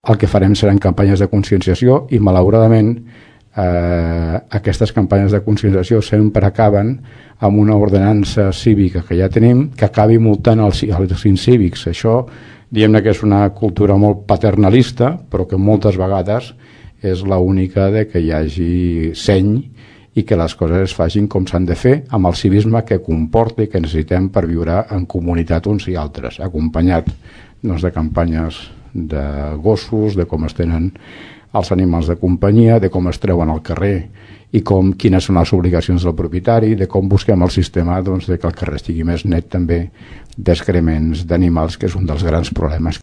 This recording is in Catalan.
el que farem seran campanyes de conscienciació i, malauradament, aquestes campanyes de conscienciació sempre acaben amb una ordenança cívica que ja tenim que acabi multant els incívics. Això, diguem-ne que és una cultura molt paternalista, però que moltes vegades és l'única de que hi hagi seny i que les coses es facin com s'han de fer, amb el civisme que comporta i que necessitem per viure en comunitat uns i altres, acompanyat de campanyes de gossos, de com es tenen els animals de companyia, de com es treuen al carrer i quines són les obligacions del propietari, de com busquem el sistema de que el carrer estigui més net també d'excrements d'animals, que és un dels grans problemes.